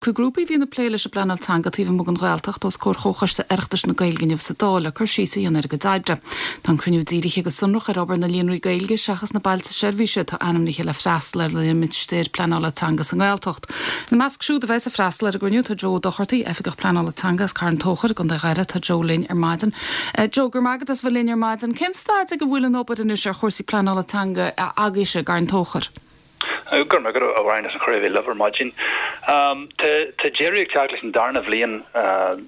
Na grúpaí a bhíonn ag plé leis an bpleanáil teanga taobh amuigh den Ghaeltacht os comhair Chomhchoiste Oireachtais na Gaeilge inniu sa Dáil le cur síos a dhéanamh ar a gcuid oibre. Tá an cruinniú dírithe go sonrach ar obair na líonraí Gaeilge seachas na bailte seirbhíse atá ainmnithe le freastal ar limistéir pleanála teanga sa nGaeltacht. Ina measc siúd a bheas ag freastal ar an gcruinniú tá Joe Ó Dochartaigh, Oifigeach Pleanála Teanga as Carn Tóchair i gContae Dhoire. Tá Joe linn ar maidin. Joe, go raibh maith agat as bheith linn ar maidin. Cén staid ag a bhfuil an obair anois ar chúrsaí pleanála teanga agaibhse i gCarn Tóchair? Go raibh maith agat, a Mháirín, as an chuireadh a bheith libh ar maidin. Tá deireadh ag teacht leis an darna bhliain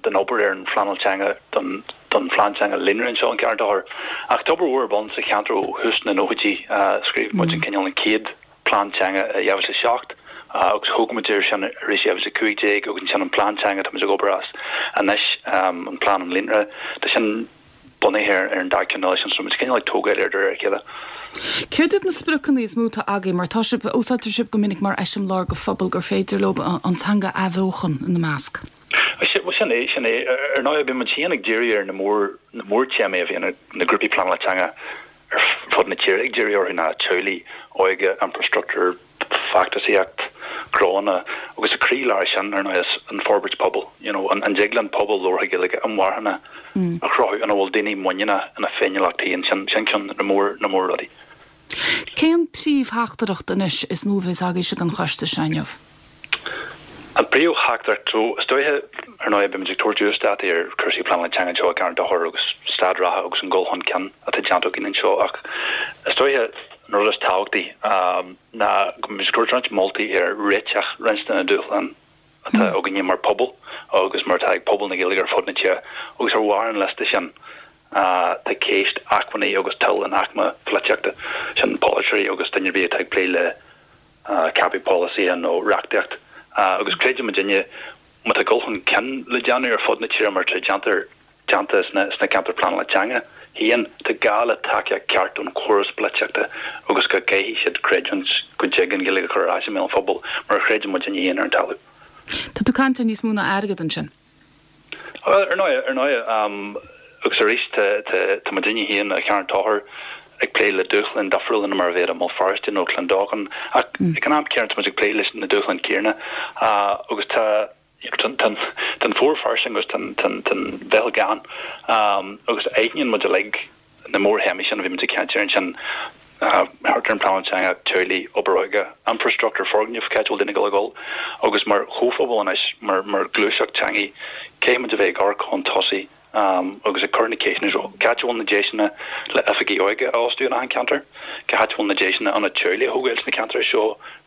den obair ar an phleanáil teanga don phlean teanga líonra anseo in Carn Tóchair. Ach tá obair mhór ar bun sa cheantar ó thús na nóchaidí. Scríobh muid an cineál an chéad plean teanga i 2007 agus thóg muid air sin arís i 2015 agus ansin an plean teanga atá muid ag obair as anois, an plean an líonra. Tá sin. bunaithe ar an dá ceann eile sin, so muid cineál ag tógáil air de réir a chéile. Céard iad na spriocanna is mó atá agaibh, mar tá sibh, úsáidtear sibh go minic mar eiseamláir do phobal gur féidir leo an teanga a athbheochan ina measc? Bhuel, sin é, sin é. Ar ndóigh, bíonn muid féin ag díriú ar na mór, na mórtéamaí a bhíonn na grúpaí pleanála teanga ar fud na tíre ag díriú orthu ná teaghlaigh, óige, infrastruchtúr, feachtasaíocht, gnóanna, agus i gcroílár sin, ar ndóigh, is an forbairt pobail, you know, an dtig linn pobal labhartha Gaeilge inmharthana a chruthú ina bhfuil daoine muiníneach ina féiniúlacht féin, sin ceann de na mór, na mór-rudaí. Cén príomhtheachtaireacht anois is mó a bheas agaibhse don choiste seo inniu? An príomhtheachtaireacht, so, is dóiche, ar ndóigh, beimid ag tabhairt uasdátaí ar chúrsaí pleanála teanga anseo i gCarn Tóchair agus staid reatha agus an dul chun cinn atá déanta againn anseo ach is dóiche an rud is tábhachtaí ná go mbeimid ag tabhairt roinnt moltaí ar réiteach roinnt de na dúshláin atá againne mar phobal agus mar atá ag pobal na Gaeilge ar fud na tíre agus ar bharr an liosta sin tá ceist acmhainní agus toil an aicme pholaitíochta, sin polaiteoirí agus duine ar bith atá ag plé le ceapadh polasaithe nó reachtaíocht agus creideann muidinne má tá dul chun cinn le déanamh ar fud na tíre mar atá déantar déanta sna ceantair pleanála teanga féin, tá gá le tacaíocht ceart ón chóras polaitíochta agus go gcaithfidh siad creidiúint go dtig an Ghaeilge a chur ar ais i mbéal an phobail mar a chreideann muidinne féin ar an talamh. Tá tú ag caint ar níos mó ná airgead ansin. Bhuel, ar ndóigh, ar ndóigh, agus arís, tá muidinne féin i gCarn Tóchair ag plé le dúshláin difriúla ná mar a bheadh i mBéal Feirste nó Clondalkin, ach ag an am céanna tá muid ag plé leis na dúshláin céanna agus tá, tá an fómhar fairsing agus tá an mheitheal gann agus aithníonn muid uilig na mórthéamaí sin a bhí muid ag caint air ansin, thart ar an bpleanáil teanga, teaghlaigh, obair óige, infrastruchtúr, foirgnimh, cá háit a bhfuil daoine ag dul a dhul, agus mar chomhphobal anois, mar mar ghluaiseacht teanga, caithfidh muid a bheith ag amharc chun tosaigh agus ag cur na ceisteanna seo, cá háit a bhfuil na deiseanna le oifigigh óige a fhostú in achan ceantar? Cá háit a bhfuil na deiseanna ionad teaghlaigh a thógáil sna ceantair seo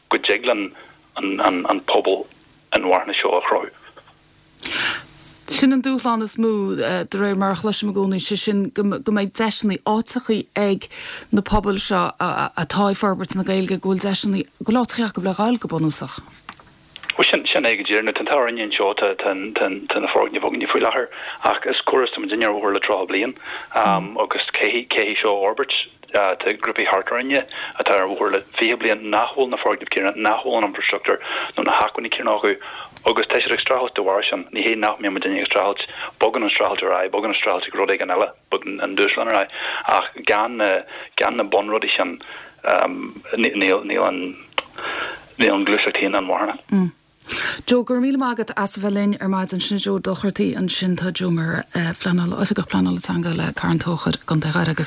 go dtig linn an an pobal inmharthana seo a chruthú? Sin an dúshlán is mó, de réir mar a chloisim i gcónaí, sé sin go mbeidh deiseanna, áiteachaí ag na pobail seo atá ag forbairt na Gaeilge, go bhfuil deiseanna, go bhfuil áiteachaí acu le dhul, go bunúsach. Bhuel, sin, sin é go díreach. Now, tá an t-ádh orainne anseo, tá, tá, tá, tá na foirgnimh againne faoi láthair ach is córas, tá muidinne ar an bhóthar le 30 bliain agus caithfidh, caithfidh seo a fhorbairt. Tá grúpaí thart orainne atá ar an bhóthar le 20 bliain nach bhfuil na foirgnimh céanna, nach bhfuil an infrastruchtúr nó na hacmhainní céanna acu agus tá siad ag streachailt de bharr sin. Ní hé nach mbíonn muidinne ag streachailt, bogann an streachailt ar aghaidh, bogann an streachailt ag rud éigin eile, bogann an dúshlán ar aghaidh ach gan na, gan na bunrudaí sin níl, níl an, níl an ghluaiseacht féin inmharthana. Joe, go raibh míle maith agat as a bheith linn ar maidin. Sin Joe Dochartaí ansin. Tá Joe mar phleanála, Oifigeach Pleanála Teanga le Carn Tóchair i gContae Dhoire agus.